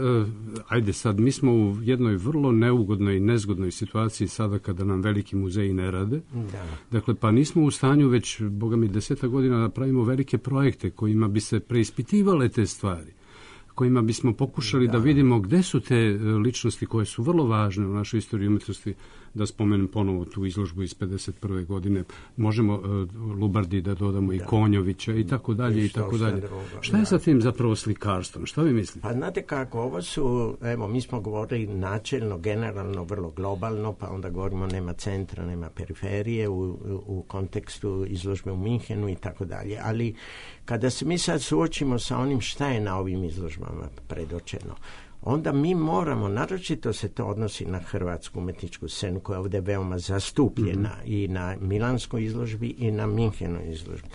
ajde sad, mi smo u jednoj vrlo neugodnoj i nezgodnoj situaciji sada kada nam veliki muzeji ne rade. Da. Dakle, pa nismo u stanju već, boga mi, 10 godina da pravimo velike projekte kojima bi se preispitivale te stvari, kojima bismo pokušali da vidimo gde su te ličnosti koje su vrlo važne u našoj istoriji umetnosti, da spomenem ponovo tu izložbu iz 51. godine. Možemo Lubardi da dodamo i Konjovića i tako dalje i tako dalje. Šta je sa tim zapravo slikarstvom? Šta vi mislite? Pa znate kako, ovo su, evo, mi smo govorili načelno, generalno, vrlo globalno, pa onda govorimo nema centra, nema periferije u kontekstu izložbe u Minhenu i tako dalje. Ali kada se mi sad suočimo sa onim šta je na ovim izložbama predočeno, onda mi moramo, naročito se to odnosi na hrvatsku umetničku scenu koja je ovdje veoma zastupljena i na milanskoj izložbi i na Minhenoj izložbi.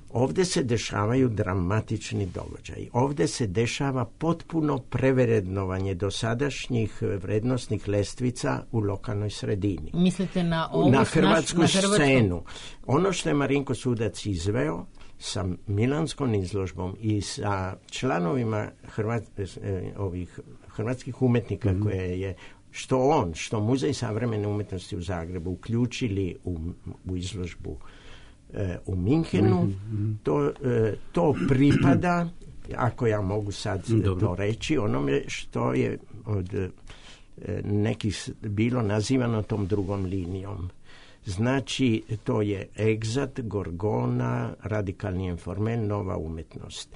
Ovdje se dešavaju dramatični događaji. Ovdje se dešava potpuno prevrednovanje dosadašnjih vrednostnih lestvica u lokalnoj sredini. Mislite na ovu na hrvatsku scenu. Ono što je Marinko Sudac izveo sa milanskom izložbom i sa članovima ovih hrvatskih umjetnika koje je što Muzej savremene umjetnosti u Zagrebu uključili u izložbu u Minhenu, to pripada, ako ja mogu sad to reći, onome što je od nekih bilo nazivano tom drugom linijom. Znači, to je egzat, gorgona, radikalni informel, nova umjetnost.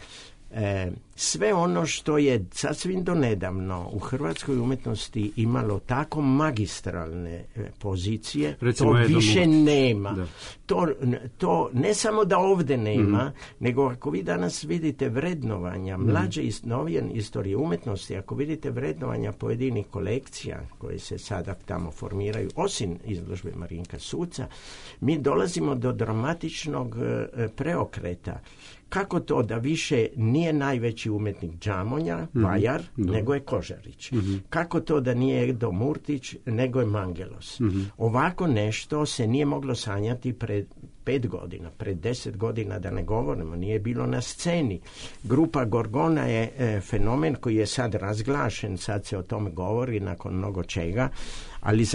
Sve ono što je sasvim donedavno u hrvatskoj umjetnosti imalo tako magistralne pozicije, recimo, to više nema. To ne samo da ovdje nema, nego ako vi danas vidite vrednovanja mlađe i novije istorije umjetnosti, ako vidite vrednovanja pojedinih kolekcija koje se sada tamo formiraju, osim izložbe Marinka Suca, mi dolazimo do dramatičnog preokreta. Kako to da više nije najveći umjetnik Džamonja, Vajar, nego je Kožarić? Kako to da nije Edo Murtić, nego je Mangelos? Ovako nešto se nije moglo sanjati pred 5 godina, pred 10 godina, da ne govorimo, nije bilo na sceni. Grupa Gorgona je fenomen koji je sad razglašen, sad se o tome govori nakon mnogo čega, ali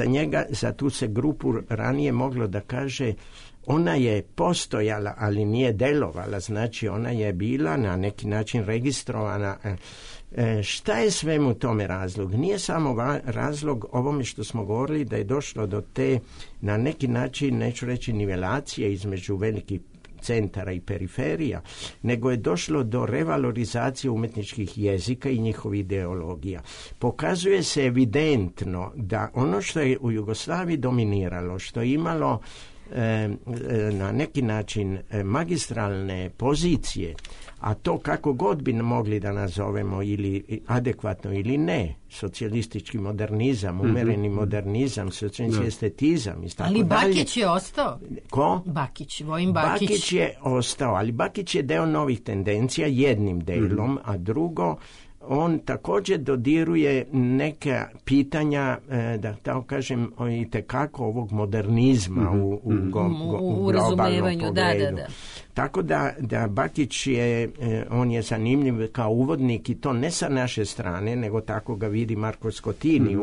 za tu se grupu ranije moglo da kaže ona je postojala, ali nije delovala, znači ona je bila na neki način registrovana. Šta je svemu tome razlog? Nije samo razlog ovome što smo govorili da je došlo do te, na neki način, neću reći nivelacije između velikih centara i periferija, nego je došlo do revalorizacije umjetničkih jezika i njihovih ideologija. Pokazuje se evidentno da ono što je u Jugoslaviji dominiralo, što je imalo na neki način magistralne pozicije, a to kako god bi mogli da nazovemo ili adekvatno ili ne, socijalistički modernizam, umereni modernizam, socijalistički estetizam i tako dalje. Ali Bakić je ostao. Ko? Vojin Bakić. Bakić je ostao, ali Bakić je deo novih tendencija jednim delom, a drugo, on također dodiruje neka pitanja, da tako kažem, itekako ovog modernizma u razumevanju, pogledu. Da. Tako da Bakić je, on je zanimljiv kao uvodnik i to ne sa naše strane, nego tako ga vidi Marko Skotini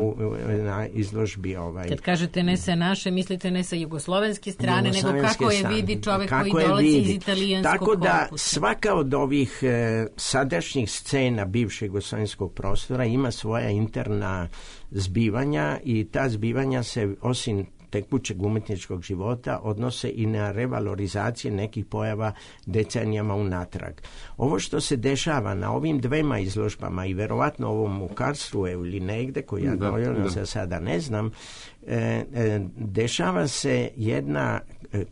na izložbi. Kad kažete ne sa naše, mislite ne sa jugoslovenske strane, nego kako je vidi čovek koji dolazi iz italijanskog korpusa. Tako da korpusa. Svaka od ovih sadašnjih scena bivšeg jugoslovenskog prostora ima svoja interna zbivanja i ta zbivanja se osim tekućeg umjetničkog života odnose i na revalorizacije nekih pojava decenijama unatrag. Ovo što se dešava na ovim dvema izložbama i verovatno ovom u Karlsruhe ili negde, koju ja dovoljno za sada ne znam, dešava se jedna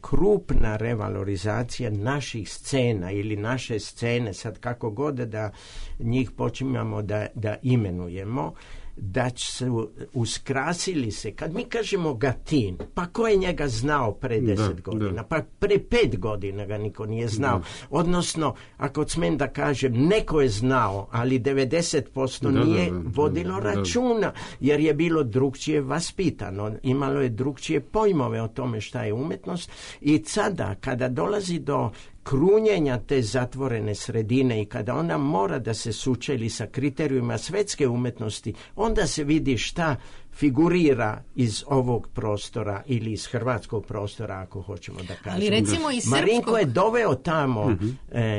krupna revalorizacija naših scena ili naše scene, sad kako god da njih počinjamo da imenujemo, da su uskrasili se. Kad mi kažemo Gatin, pa ko je njega znao pre 10 godina? Pa pre 5 godina ga niko nije znao. Odnosno, ako smem da kažem, neko je znao, ali 90% nije vodilo računa, jer je bilo drugčije vaspitano. Imalo je drugčije pojmove o tome šta je umjetnost. I sada, kada dolazi do krunjenja te zatvorene sredine i kada ona mora da se sučeli sa kriterijima svetske umetnosti, onda se vidi šta figurira iz ovog prostora ili iz hrvatskog prostora, ako hoćemo da kažemo. Ali recimo i Marinko je doveo tamo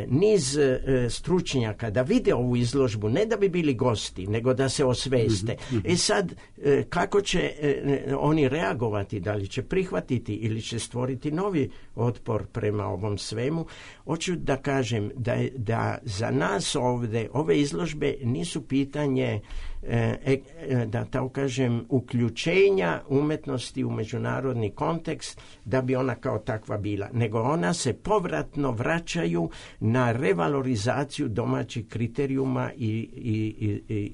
niz stručnjaka da vide ovu izložbu, ne da bi bili gosti, nego da se osveste. Sad, kako će oni reagovati, da li će prihvatiti ili će stvoriti novi otpor prema ovom svemu? Hoću da kažem da za nas ovde ove izložbe nisu pitanje da tako kažem uključenja umetnosti u međunarodni kontekst da bi ona kao takva bila, nego ona se povratno vraćaju na revalorizaciju domaćih kriterijuma i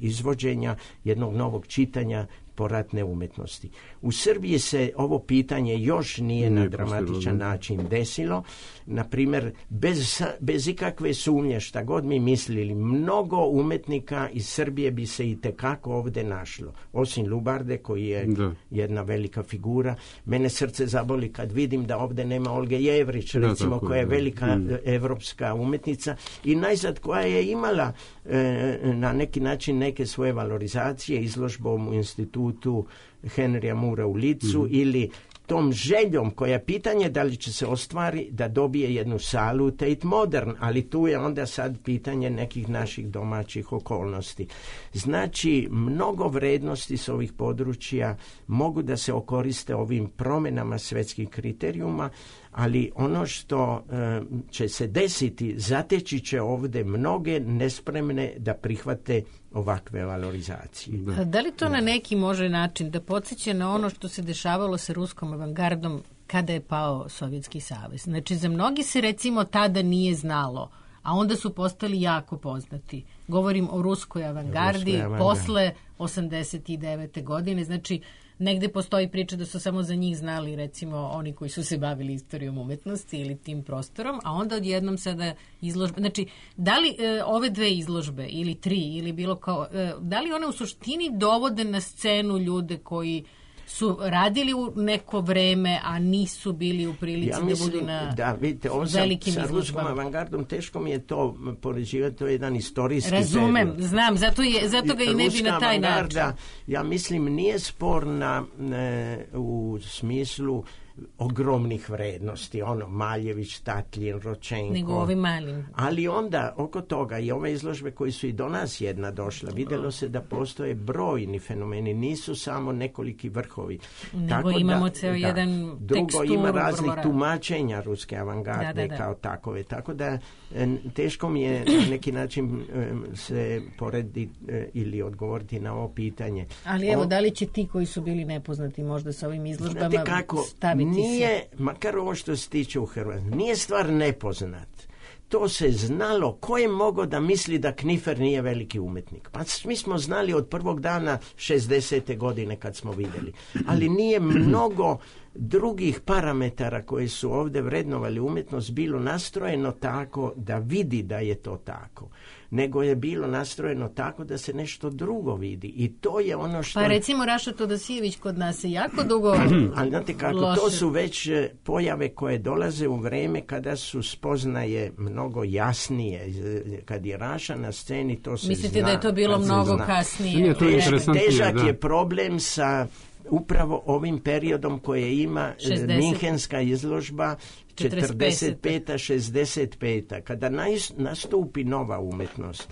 izvođenja jednog novog čitanja poratne umetnosti. U Srbiji se ovo pitanje još nije na dramatičan način desilo. Na primjer, bez ikakve sumnje, šta god mi mislili, mnogo umetnika iz Srbije bi se i tekako ovdje našlo. Osim Lubarde, koji je jedna velika figura. Mene srce zaboli kad vidim da ovdje nema Olge Jevrić, recimo, koja je velika evropska umetnica i najzad koja je imala na neki način neke svoje valorizacije izložbom u institutu Henrya Mura u Licu ili tom željom koja je pitanje da li će se ostvari da dobije jednu salu Tate Modern, ali tu je onda sad pitanje nekih naših domaćih okolnosti. Znači, mnogo vrednosti s ovih područja mogu da se okoriste ovim promjenama svetskih kriterijuma, ali ono što će se desiti, zateći će ovdje mnoge nespremne da prihvate ovakve valorizacije. Da li to na neki može način da podsjeća na ono što se dešavalo sa ruskom avangardom kada je pao Sovjetski savez? Znači, za mnogi se recimo tada nije znalo, a onda su postali jako poznati. Govorim o ruskoj avangardi posle 89. godine. Znači, negde postoji priča da su samo za njih znali recimo oni koji su se bavili istorijom umetnosti ili tim prostorom, a onda odjednom sada izložbe. Znači, da li ove dve izložbe ili tri ili bilo kao, da li one u suštini dovode na scenu ljude koji su radili u neko vreme, a nisu bili u prilici da budu na velikim izložbama? Sa ruskom avangardom teško mi je to poređivati, to je jedan istorijski Razumem, period. Znam, zato ga i ne bi na taj način. Ja mislim, nije sporna u smislu ogromnih vrednosti, Maljević, Tatlin, Ročenko. Nego ovim malim. Ali onda, oko toga, i ove izložbe koji su i do nas jedna došla, vidjelo se da postoje brojni fenomeni, nisu samo nekoliki vrhovi. Nego tako imamo ceo jedan drugo, ima raznih tumačenja ruske avangarde kao takove. Tako da, teško mi je na neki način se porediti ili odgovoriti na ovo pitanje. Ali evo, da li će ti koji su bili nepoznati možda sa ovim izložbama staviti? Nije, makar ovo što se tiče u Hrvatskoj, nije stvar nepoznat. To se znalo. Ko je mogao da misli da Knifer nije veliki umetnik? Pa mi smo znali od prvog dana 60. godine kad smo vidjeli. Ali nije mnogo drugih parametara koji su ovdje vrednovali umjetnost bilo nastrojeno tako da vidi da je to tako, nego je bilo nastrojeno tako da se nešto drugo vidi. I to je ono što... Pa recimo Raša Todosijević kod nas je jako dugo ali znate kako, loše. To su već pojave koje dolaze u vreme kada su spoznaje mnogo jasnije. Kad je Raša na sceni, to se Mislite zna. Da je to bilo mnogo kasnije? Težak je problem sa upravo ovim periodom koje ima Minhenska izložba 45-65. Kada nastupi nova umetnost,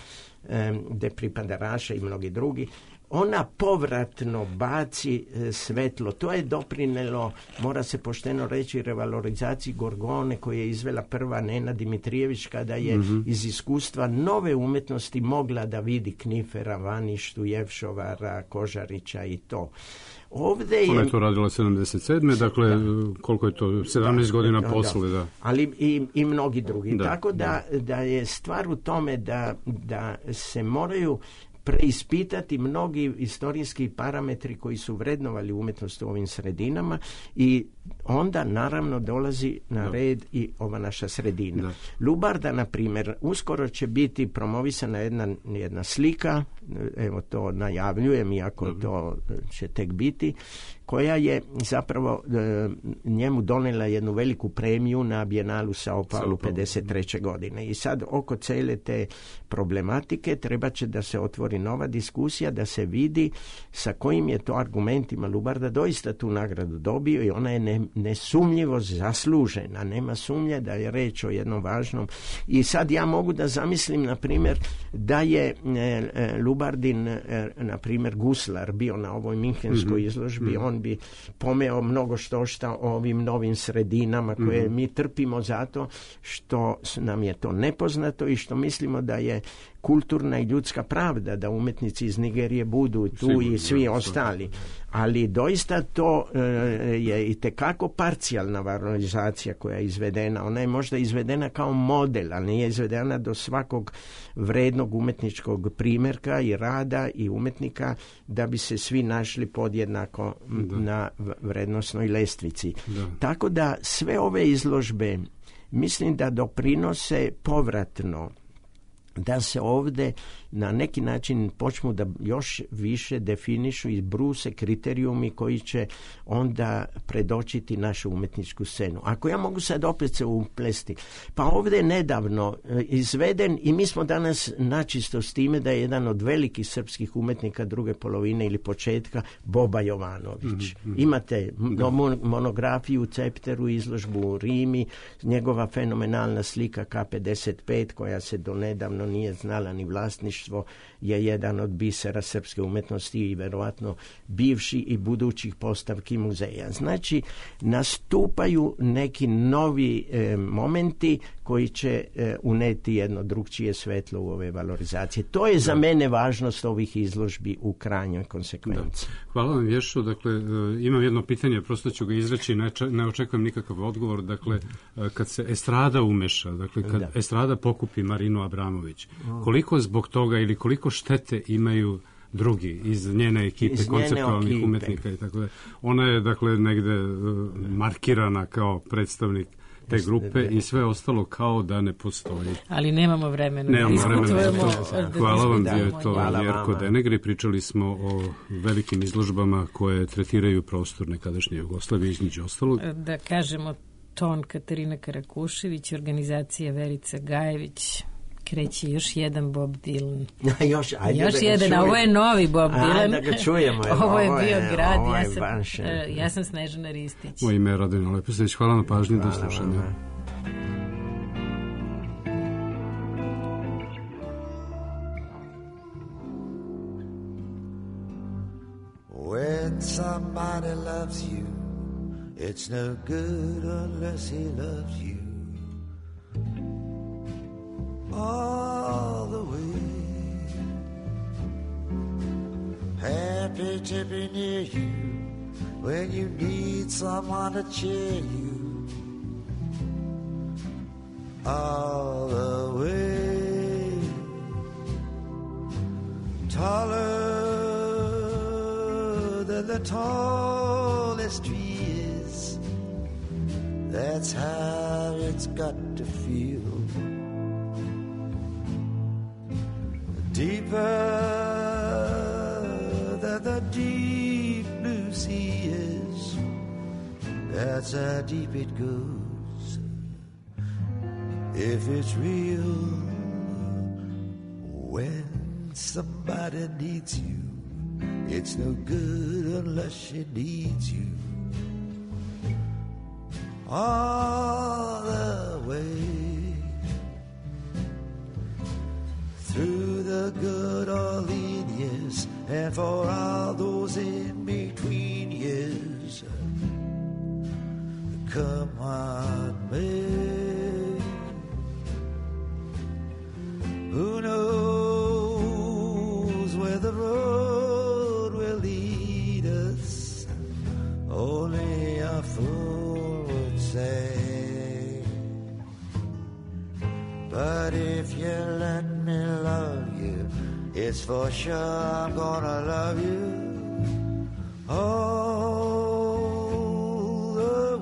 gde pripada Raša i mnogi drugi, ona povratno baci svetlo. To je doprinelo, mora se pošteno reći, revalorizaciji Gorgone koje je izvela prva Nena Dimitrijević kada je iz iskustva nove umetnosti mogla da vidi Knifera, Vaništu, Jevšovara, Kožarića i to. Ona je to radila 77. Dakle, koliko je to? 17 godina posle, da. Ali i mnogi drugi. Tako da je stvar u tome da se moraju preispitati mnogi istorijski parametri koji su vrednovali umjetnost u ovim sredinama i onda naravno dolazi na red i ova naša sredina. Lubarda, na primjer, uskoro će biti promovisana jedna slika, evo to najavljujem, iako to će tek biti, koja je zapravo njemu donijela jednu veliku premiju na Bijenalu São Paulo 53. godine. I sad oko cele te problematike treba će da se otvori nova diskusija, da se vidi sa kojim je to argumentima Lubarda doista tu nagradu dobio i ona je nesumnjivo zaslužena. Nema sumnje da je reč o jednom važnom. I sad ja mogu da zamislim, na primjer, da je Lubardin, na primjer, guslar bio na ovoj minhenskoj izložbi, on bi pomeo mnogo šta o ovim novim sredinama koje mi trpimo zato što nam je to nepoznato i što mislimo da je kulturna i ljudska pravda da umetnici iz Nigerije budu tu. Sigurno, i svi ostali. Ali doista to je i tekako parcijalna valorizacija koja je izvedena. Ona je možda izvedena kao model, ali nije izvedena do svakog vrednog umetničkog primjerka i rada i umetnika da bi se svi našli podjednako na vrednosnoj lestvici. Tako da sve ove izložbe mislim da doprinose povratno da se ovdje na neki način počnu da još više definišu i bruse kriterijumi koji će onda predočiti našu umetničku scenu. Ako ja mogu sad opet se uplesti, pa ovdje je nedavno izveden i mi smo danas načisto s time da je jedan od velikih srpskih umetnika druge polovine ili početka Boba Jovanović. Imate monografiju u Cepteru, izložbu u Rimi, njegova fenomenalna slika K55 koja se donedavno nije znala ni vlasništvo, je jedan od bisera srpske umetnosti i verovatno bivši i budućih postavki muzeja. Znači, nastupaju neki novi momenti koji će uneti jedno drugčije svetlo u ove valorizacije. To je za mene važnost ovih izložbi u krajnjoj konsekvenciji. Hvala vam, Ješo. Dakle, imam jedno pitanje, prosto ću ga izreći, ne očekujem nikakav odgovor. Dakle, kad se estrada umeša, dakle, kad estrada pokupi Marinu Abramović, koliko zbog toga ili koliko štete imaju drugi iz njene ekipe, konceptualnih umetnika i tako da. Ona je, dakle, negde markirana kao predstavnik te grupe i sve ostalo kao da ne postoji. Ali nemamo vremena. Hvala vam, bio je to Jerko Denegri. Pričali smo o velikim izložbama koje tretiraju prostor nekadašnje Jugoslavije, između ostalog. Da kažemo, ton Katarina Karakušević, organizacija Verica Gajević, kreće još jedan Bob Dylan. još jedan, a ovo je novi Bob Dylan. Da ga čujemo. Ovo je bio grad. Ja sam Snežana Ristić. Moje ime je Radovina Lepostić. Hvala na pažnji, do slušanja. When somebody loves you, it's no good unless he loves you all the way. Happy to be near you when you need someone to cheer you all the way. Taller than the tallest tree is, that's how it's got to feel. Deeper than the deep blue sea is, that's how deep it goes. If it's real, when somebody needs you, it's no good unless she needs you all the way. Through the good or lean years, and for all those in between years, come on, May. Who knows where the road will lead us? Only a fool would say. But if you let me love you, it's for sure I'm gonna love you all the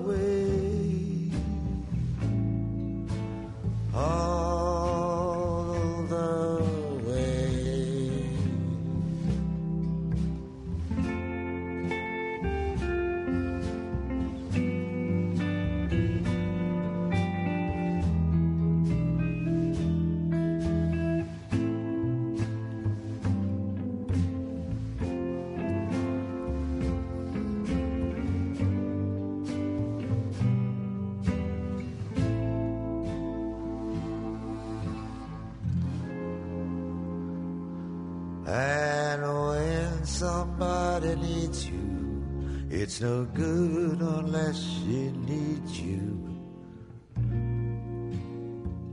And when somebody needs you, it's no good unless she needs you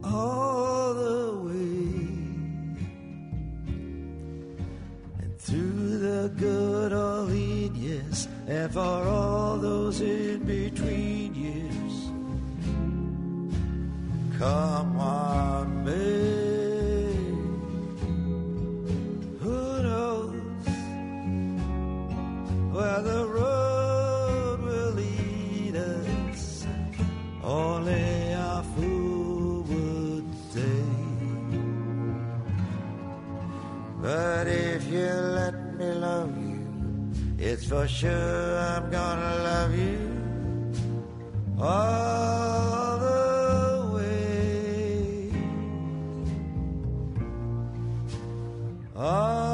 all the way. And through the good or lean years, and for all those in between years, come on, babe. Who knows where the road will lead us? Only a fool would say. But if you let me love you, it's for sure I'm gonna love you all the way. All